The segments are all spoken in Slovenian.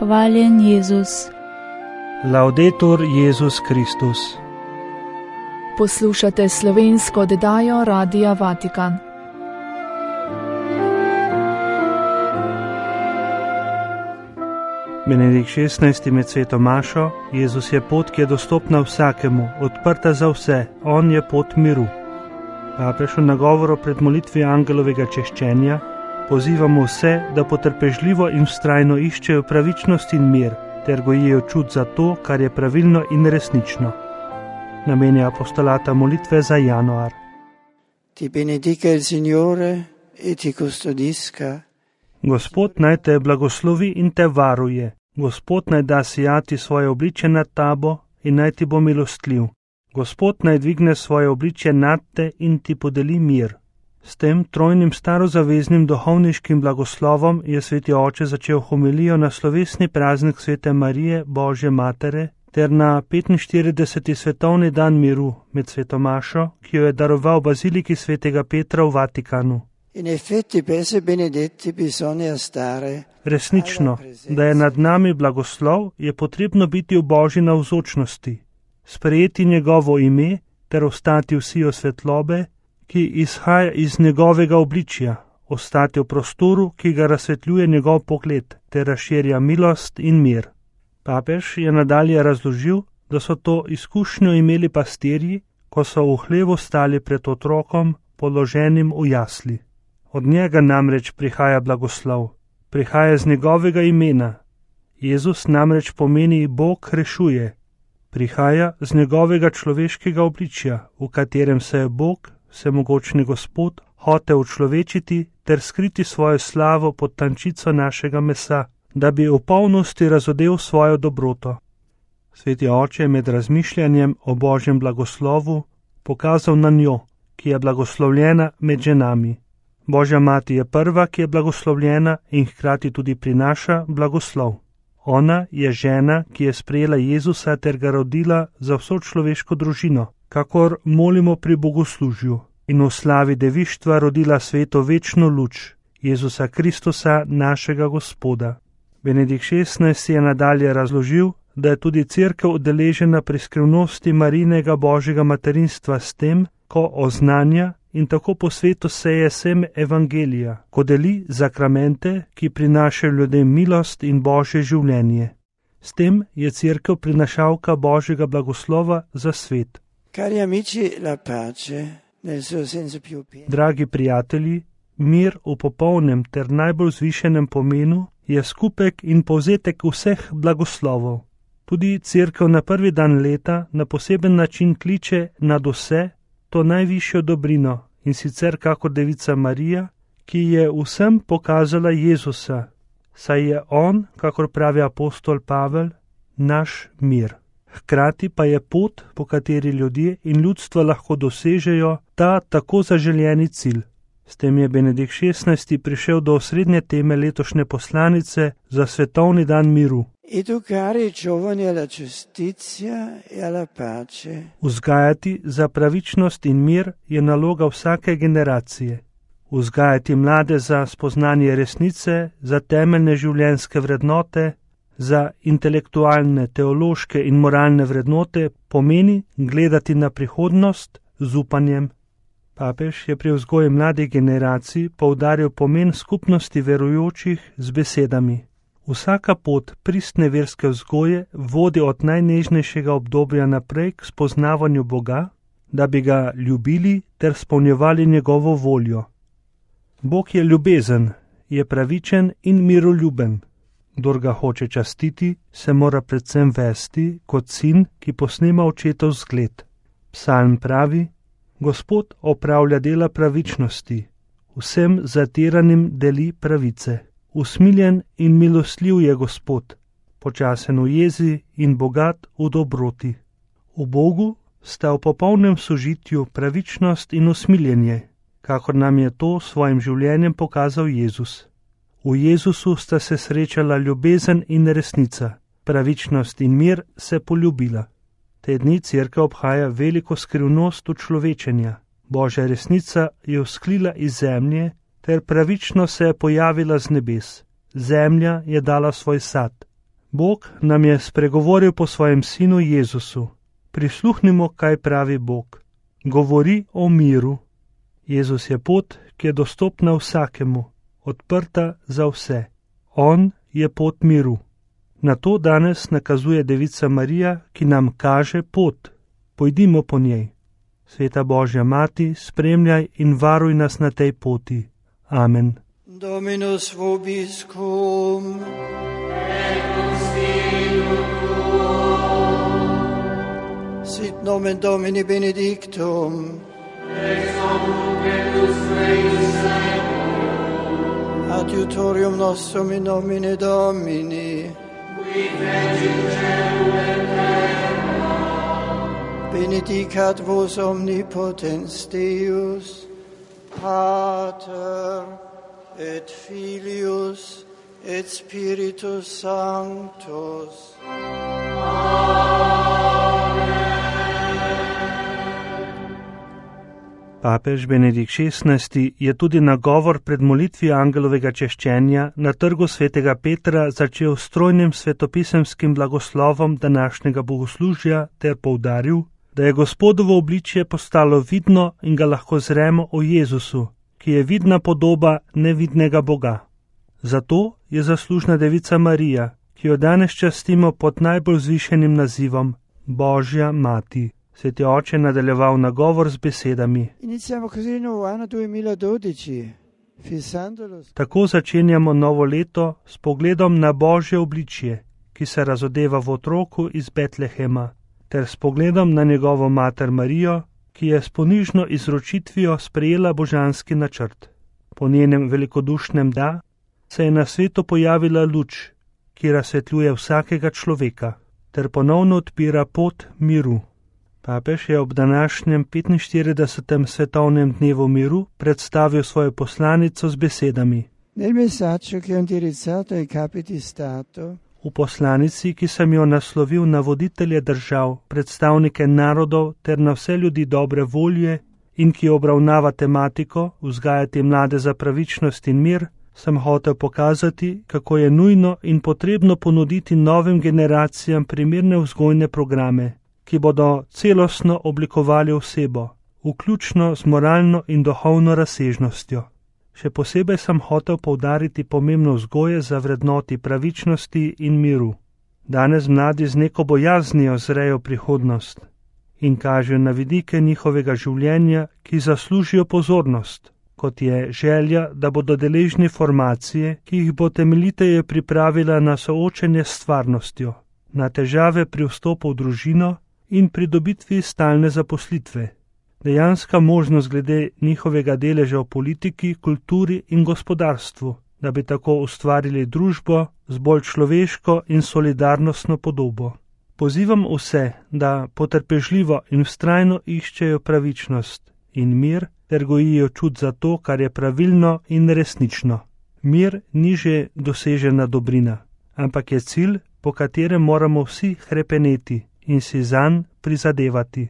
Hvaljen Jezus. Laudetur Jezus Kristus. Poslušate slovensko oddajo Radia Vatikan. Benedikt XVI. Med sveto mašo: Jezus je pot, ki je dostopna vsakemu, odprta za vse, on je pot miru. Papež v nagovoru pred molitvijo angelovega češčenja pozivamo vse, da potrpežljivo in vztrajno iščejo pravičnost in mir, ter gojijo čut za to, kar je pravilno in resnično. Namenja apostolata molitve za januar. Ti benedica il Signore e ti custodisca. Gospod naj te blagoslovi in te varuje. Gospod naj da sijati svoje obličje nad tabo in naj ti bo milostljiv. Gospod naj dvigne svoje obličje nad te in ti podeli mir. S tem trojnim starozaveznim duhovniškim blagoslovom je sveti oče začel homilijo na slovesni praznik svete Marije, Božje matere, ter na 45. svetovni dan miru med sveto mašo, ki jo je daroval baziliki svetega Petra v Vatikanu. In effetti per essere benedetti bisogna stare. Resnično, da je nad nami blagoslov, je potrebno biti v Božji navzočnosti, sprejeti njegovo ime ter ostati v siju svetlobe, ki izhaja iz njegovega obličja, ostati v prostoru, ki ga razsvetljuje njegov pogled, ter razširja milost in mir. Papež je nadalje razložil, da so to izkušnjo imeli pastirji, ko so v hlevu stali pred otrokom, položenim v jasli. Od njega namreč prihaja blagoslov, prihaja z njegovega imena. Jezus namreč pomeni Bog rešuje, prihaja z njegovega človeškega obličja, v katerem se je Bog, vsemogočni Gospod, hotel učlovečiti ter skriti svojo slavo pod tančico našega mesa, da bi v polnosti razodel svojo dobroto. Sveti oče je med razmišljanjem o Božjem blagoslovu pokazal na njo, ki je blagoslovljena med ženami. Božja mati je prva, ki je blagoslovljena in hkrati tudi prinaša blagoslov. Ona je žena, ki je sprejela Jezusa ter ga rodila za vso človeško družino, kakor molimo pri bogoslužju, in v slavi devištva rodila svetu večno luč, Jezusa Kristusa, našega Gospoda. Benedikt XVI. Je nadalje razložil, da je tudi cerkev udeležena pri skrivnosti Marijinega Božjega materinstva s tem, ko oznanja in tako po svetu seje seme evangelija, ko deli zakramente, ki prinašajo ljudem milost in Božje življenje. S tem je cerkev prinašalka Božjega blagoslova za svet. Cari amici, la pace nel suo senso più pieno. Dragi prijatelji, mir v popolnem ter najbolj vzvišenem pomenu je skupek in povzetek vseh blagoslovov. Tudi cerkev na prvi dan leta na poseben način kliče nad vse to najvišjo dobrino, in sicer kakor devica Marija, ki je vsem pokazala Jezusa, saj je on, kakor pravi apostol Pavel, naš mir. Hkrati pa je pot, po kateri ljudje in ljudstva lahko dosežejo ta tako zaželjeni cilj. S tem je Benedikt XVI. Prišel do osrednje teme letošnje poslanice za svetovni dan miru. Educare i giovani alla giustizia e alla pace. Vzgajati za pravičnost in mir je naloga vsake generacije. Vzgajati mlade za spoznanje resnice, za temeljne življenjske vrednote, za intelektualne, teološke in moralne vrednote pomeni gledati na prihodnost z upanjem. Papež je pri vzgoji mladih generacij poudaril pomen skupnosti verujočih z besedami. Vsaka pot pristne verske vzgoje vodi od najnežnejšega obdobja naprej k spoznavanju Boga, da bi ga ljubili ter spolnjevali njegovo voljo. Bog je ljubezen, je pravičen in miroljuben. Kdor ga hoče častiti, se mora predvsem vesti kot sin, ki posnema očetov zgled. Psalm pravi: Gospod opravlja dela pravičnosti, vsem zatiranim deli pravice. Usmiljen in milostljiv je Gospod, počasen v jezi in bogat v dobroti. V Bogu sta v popolnem sožitju pravičnost in usmiljenje, kakor nam je to svojim življenjem pokazal Jezus. V Jezusu sta se srečala ljubezen in resnica, pravičnost in mir se poljubila. Te dni cerkev obhaja veliko skrivnost učlovečenja. Božja resnica je vzklila iz zemlje, ter pravično se je pojavila z nebes. Zemlja je dala svoj sad. Bog nam je spregovoril po svojem sinu Jezusu. Prisluhnimo, kaj pravi Bog. Govori o miru. Jezus je pot, ki je dostopna vsakemu, odprta za vse. On je pot miru. Na to danes nakazuje Devica Marija, ki nam kaže pot. Pojdimo po njej. Sveta Božja Mati, spremljaj in varuj nas na tej poti. Amen. Dominus vobiscum. Sit nomen Domini benedictum. Adiutorium nostrum in nomine Domini. Benedicat vos omnipotens Deus, Pater et Filius et Spiritus Sanctus. Papež Benedikt XVI je tudi nagovor pred molitvijo angelovega češčenja na trgu svetega Petra začel s trojnim svetopisemskim blagoslovom današnjega bogoslužja ter poudaril, da je Gospodovo obličje postalo vidno in ga lahko zremo o Jezusu, ki je vidna podoba nevidnega Boga. Zato je zaslužna Devica Marija, ki jo danes častimo pod najbolj vzvišenim nazivom Božja Mati. Sveti oče nadaljeval nagovor z besedami. Tako začenjamo novo leto s pogledom na Božje obličje, ki se razodeva v otroku iz Betlehema, ter s pogledom na njegovo mater Marijo, ki je s ponižno izročitvijo sprejela božanski načrt. Po njenem velikodušnem da se je na svetu pojavila luč, ki razsvetljuje vsakega človeka, ter ponovno odpira pot miru. Papež je ob današnjem 45. svetovnem dnevu miru predstavil svojo poslanico z besedami. V poslanici, ki sem jo naslovil na voditelje držav, predstavnike narodov ter na vse ljudi dobre volje in ki obravnava tematiko vzgajati mlade za pravičnost in mir, sem hotel pokazati, kako je nujno in potrebno ponuditi novim generacijam primerne vzgojne programe, ki bodo celostno oblikovali osebo, vključno z moralno in duhovno razsežnostjo. Še posebej sem hotel poudariti pomembno vzgoje za vrednoti pravičnosti in miru. Danes mladi z neko bojaznijo zrejo prihodnost in kažejo na vidike njihovega življenja, ki zaslužijo pozornost, kot je želja, da bodo deležni formacije, ki jih bo temeljiteje pripravila na soočenje s stvarnostjo, na težave pri vstopu v družino in pridobitvi stalne zaposlitve. Dejanska možnost glede njihovega deleža v politiki, kulturi in gospodarstvu, da bi tako ustvarili družbo z bolj človeško in solidarnostno podobo. Pozivam vse, da potrpežljivo in vztrajno iščejo pravičnost in mir, ter gojijo čut za to, kar je pravilno in resnično. Mir ni že dosežena dobrina, ampak je cilj, po katerem moramo vsi hrepeneti in si zanj prizadevati.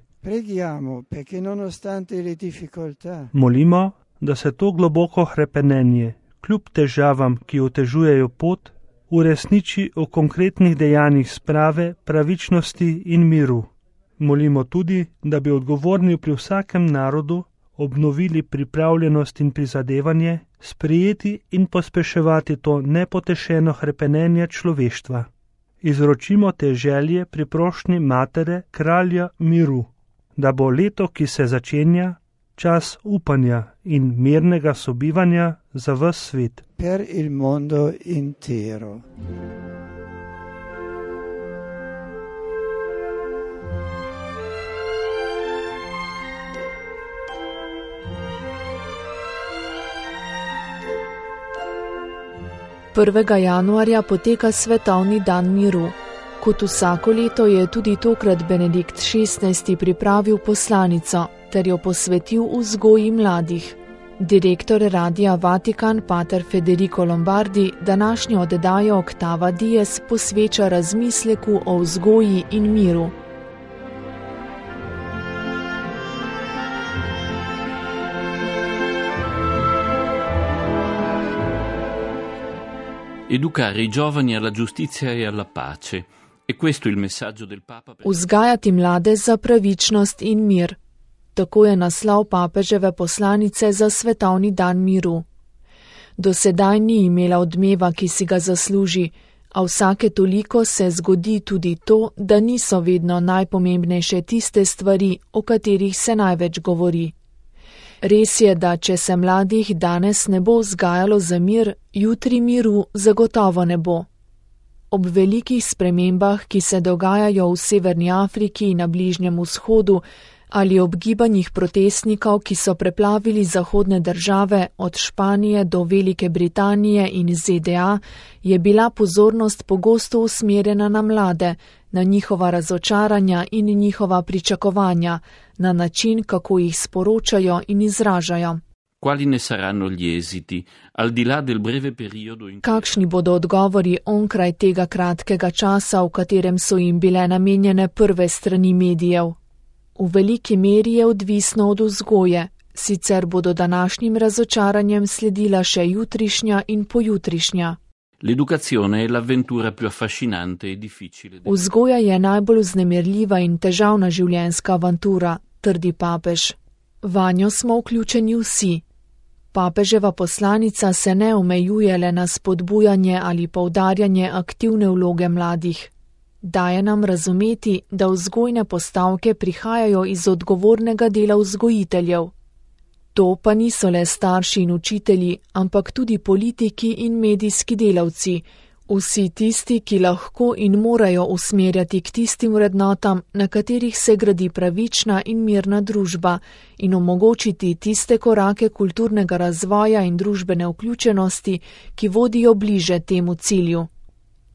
Molimo, da se to globoko hrepenenje, kljub težavam, ki otežujejo pot, uresniči v konkretnih dejanjih sprave, pravičnosti in miru. Molimo tudi, da bi odgovorni pri vsakem narodu obnovili pripravljenost in prizadevanje, sprejeti in pospeševati to nepotešeno hrepenenje človeštva. Izročimo te želje pri prošnji Matere, Kralja miru, da bo leto, ki se začenja, čas upanja in mirnega sobivanja za ves svet. Per il mondo intero. Prvega januarja poteka Svetovni dan miru. Kot vsako leto je tudi tokrat Benedikt XVI. Pripravil poslanico ter jo posvetil vzgoji mladih. Direktor Radia Vatikan pater Federico Lombardi današnjo oddajo Octava Dies posveča razmisleku o vzgoji in miru. Educare i giovani alla giustizia e alla pace. E questo il messaggio del Papa. Vzgajati mlade za pravičnost in mir. Tako je naslov papeževe poslanice za svetovni dan miru. Do sedaj ni imela odmeva, ki si ga zasluži, a vsake toliko se zgodi tudi to, da niso vedno najpomembnejše tiste stvari, o katerih se največ govori. Res je, da če se mladih danes ne bo vzgajalo za mir, jutri miru zagotovo ne bo. Ob velikih spremembah, ki se dogajajo v Severni Afriki in na Bližnjem vzhodu, ali ob gibanjih protestnikov, ki so preplavili zahodne države od Španije do Velike Britanije in ZDA, je bila pozornost pogosto usmerjena na mlade, na njihova razočaranja in njihova pričakovanja, na način, kako jih sporočajo in izražajo. Quali ne saranno gli esiti, al di là del breve periodo in... Kakšni bodo odgovori onkraj tega kratkega časa, v katerem so jim bile namenjene prve strani medijev? V veliki meri je odvisno od vzgoje, sicer bodo današnjim razočaranjem sledila še jutrišnja in pojutrišnja. L'educazione è l'avventura più affascinante e difficile. Vzgoja je najbolj vznemirljiva in težavna življenjska avantura, trdi papež. Vanjo smo vključeni vsi. Papeževa poslanica se ne omejuje le na spodbujanje ali poudarjanje aktivne vloge mladih. Daje nam razumeti, da vzgojne postavke prihajajo iz odgovornega dela vzgojiteljev. To pa niso le starši in učitelji, ampak tudi politiki in medijski delavci, vsi tisti, ki lahko in morajo usmerjati k tistim vrednotam, na katerih se gradi pravična in mirna družba, in omogočiti tiste korake kulturnega razvoja in družbene vključenosti, ki vodijo bliže temu cilju.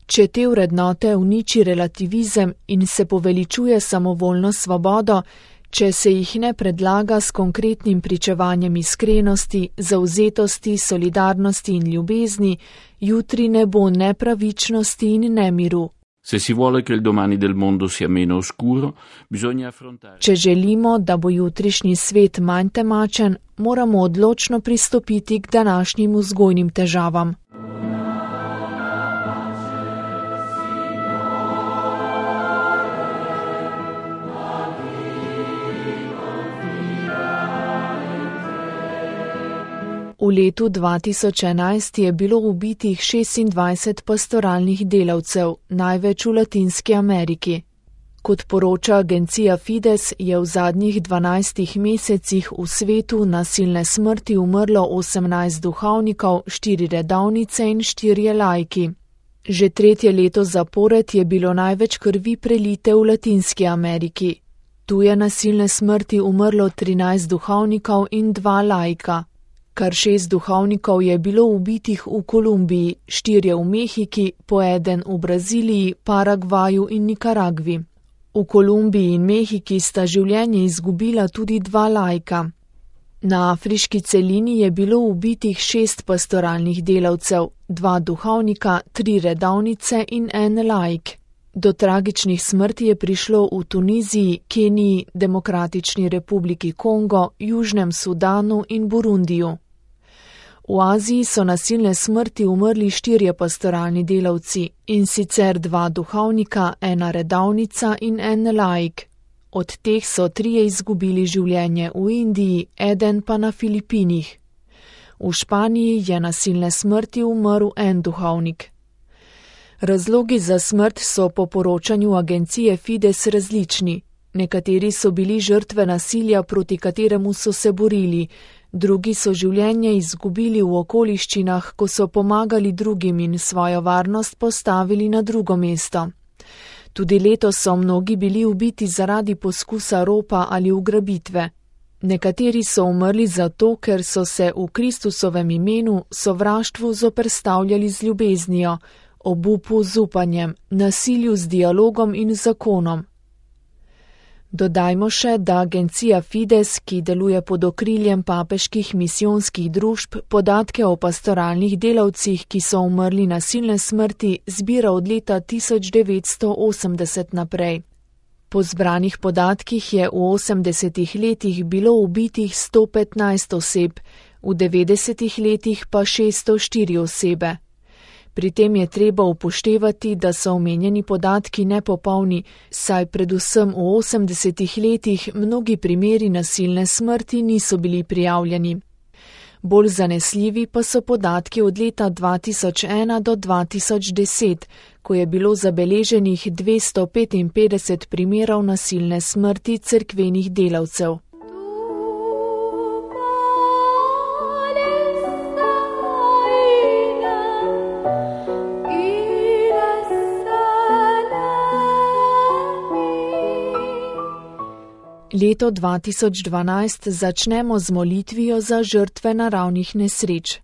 Če te vrednote uniči relativizem in se poveličuje samovoljno svobodo, če se jih ne predlaga s konkretnim pričevanjem iskrenosti, zavzetosti, solidarnosti in ljubezni, jutri ne bo nepravičnosti in nemiru. Se si vuole che il domani del mondo sia meno oscuro, bisogna affrontare. Če želimo, da bo jutrišnji svet manj temačen, moramo odločno pristopiti k današnjim vzgojnim težavam. V letu 2011 je bilo ubitih 26 pastoralnih delavcev, največ v Latinski Ameriki. Kot poroča agencija Fides, je v zadnjih 12 mesecih v svetu nasilne smrti umrlo 18 duhovnikov, 4 redovnice in 4 laiki. Že 3. leto zapored je bilo največ krvi prelite v Latinski Ameriki. Tu je nasilne smrti umrlo 13 duhovnikov in 2 laika. Kar 6 duhovnikov je bilo ubitih v Kolumbiji, 4 v Mehiki, po 1 v Braziliji, Paragvaju in Nikaragvi. V Kolumbiji in Mehiki sta življenje izgubila tudi 2 laika. Na afriški celini je bilo ubitih 6 pastoralnih delavcev, 2 duhovnika, 3 redovnice in 1 laik. Do tragičnih smrti je prišlo v Tuniziji, Keniji, Demokratični republiki Kongo, Južnem Sudanu in Burundiju. V Aziji so nasilne smrti umrli 4 pastoralni delavci, in sicer 2 duhovnika, 1 redovnica in 1 laik. Od teh so 3 izgubili življenje v Indiji, 1 pa na Filipinih. V Španiji je nasilne smrti umrl 1 duhovnik. Razlogi za smrt so po poročanju agencije Fides različni. Nekateri so bili žrtve nasilja, proti kateremu so se borili, drugi so življenje izgubili v okoliščinah, ko so pomagali drugim in svojo varnost postavili na drugo mesto. Tudi letos so mnogi bili ubiti zaradi poskusa ropa ali ugrabitve. Nekateri so umrli zato, ker so se v Kristusovem imenu sovraštvu zoperstavljali z ljubeznijo, obupu z upanjem, nasilju z dialogom in zakonom. Dodajmo še, da agencija Fides, ki deluje pod okriljem papeških misijonskih družb, podatke o pastoralnih delavcih, ki so umrli nasilne smrti, zbira od leta 1980 naprej. Po zbranih podatkih je v 80 letih bilo ubitih 115 oseb, v 90 letih pa 604 osebe. Pri tem je treba upoštevati, da so omenjeni podatki nepopolni, saj predvsem v 80 letih mnogi primeri nasilne smrti niso bili prijavljeni. Bolj zanesljivi pa so podatki od leta 2001 do 2010, ko je bilo zabeleženih 255 primerov nasilne smrti cerkvenih delavcev. Leto 2012 začnemo z molitvijo za žrtve naravnih nesreč.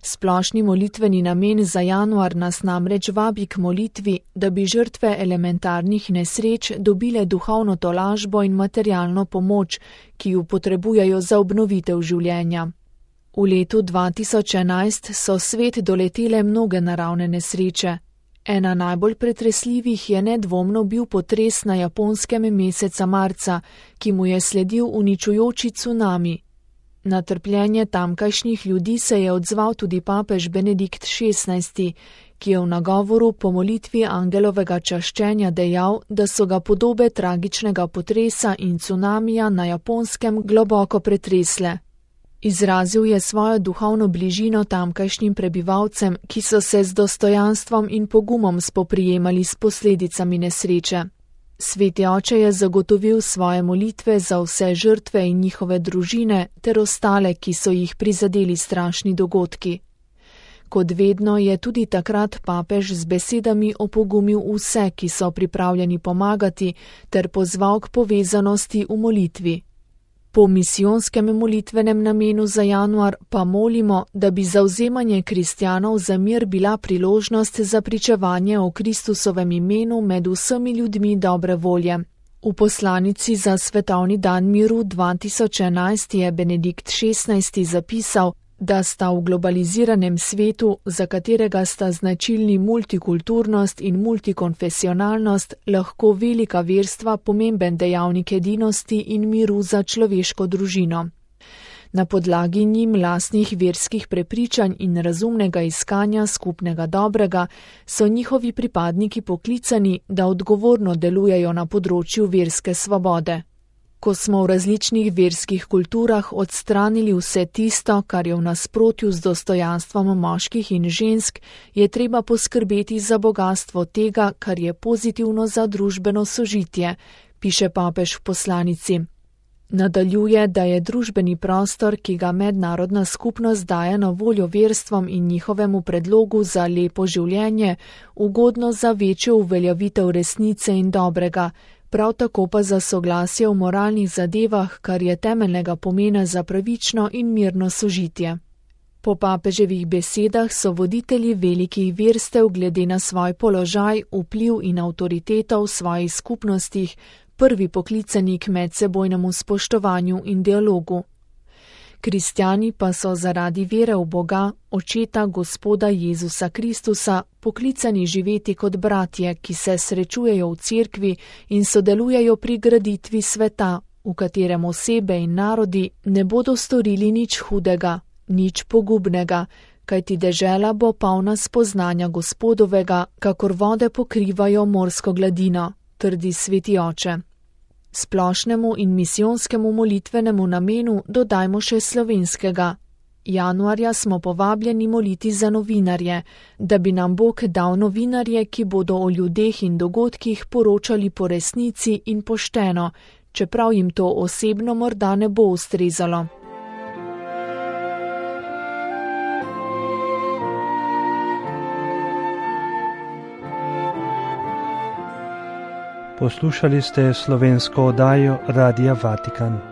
Splošni molitveni namen za januar nas namreč vabi k molitvi, da bi žrtve elementarnih nesreč dobile duhovno tolažbo in materialno pomoč, ki jo potrebujejo za obnovitev življenja. V letu 2011 so svet doletele mnoge naravne nesreče. Ena najbolj pretresljivih je nedvomno bil potres na Japonskem meseca marca, ki mu je sledil uničujoči cunami. Na trpljenje tamkajšnjih ljudi se je odzval tudi papež Benedikt XVI, ki je v nagovoru po molitvi angelovega čaščenja dejal, da so ga podobe tragičnega potresa in cunamija na Japonskem globoko pretresle. Izrazil je svojo duhovno bližino tamkajšnjim prebivalcem, ki so se z dostojanstvom in pogumom spoprijemali s posledicami nesreče. Sveti oče je zagotovil svoje molitve za vse žrtve in njihove družine ter ostale, ki so jih prizadeli strašni dogodki. Kot vedno je tudi takrat papež z besedami opogumil vse, ki so pripravljeni pomagati, ter pozval k povezanosti v molitvi. Po misijonskem molitvenem namenu za januar pa molimo, da bi zavzemanje kristjanov za mir bila priložnost za pričevanje o Kristusovem imenu med vsemi ljudmi dobre volje. V poslanici za Svetovni dan miru 2011 je Benedikt XVI zapisal, da sta v globaliziranem svetu, za katerega sta značilni multikulturnost in multikonfesionalnost, lahko velika verstva pomemben dejavnik edinosti in miru za človeško družino. Na podlagi njim lastnih verskih prepričanj in razumnega iskanja skupnega dobrega so njihovi pripadniki poklicani, da odgovorno delujejo na področju verske svobode. Ko smo v različnih verskih kulturah odstranili vse tisto, kar je v nasprotju z dostojanstvom moških in žensk, je treba poskrbeti za bogastvo tega, kar je pozitivno za družbeno sožitje, piše papež v poslanici. Nadaljuje, da je družbeni prostor, ki ga mednarodna skupnost daje na voljo verstvom in njihovemu predlogu za lepo življenje, ugodno za večjo uveljavitev resnice in dobrega, prav tako pa za soglasje v moralnih zadevah, kar je temeljnega pomena za pravično in mirno sožitje. Po papeževih besedah so voditelji velikih verstev glede na svoj položaj, vpliv in avtoriteto v svojih skupnostih prvi poklicani k medsebojnemu spoštovanju in dialogu. Kristjani pa so zaradi vere v Boga, Očeta Gospoda Jezusa Kristusa, poklicani živeti kot bratje, ki se srečujejo v cerkvi in sodelujejo pri graditvi sveta, v katerem osebe in narodi ne bodo storili nič hudega, nič pogubnega, kajti dežela bo polna spoznanja Gospodovega, kakor vode pokrivajo morsko gladino, trdi sveti oče. Splošnemu in misijonskemu molitvenemu namenu dodajmo še slovenskega. Januarja smo povabljeni moliti za novinarje, da bi nam Bog dal novinarje, ki bodo o ljudeh in dogodkih poročali po resnici in pošteno, čeprav jim to osebno morda ne bo ustrezalo. Poslušali ste slovensko oddajo Radia Vatikan.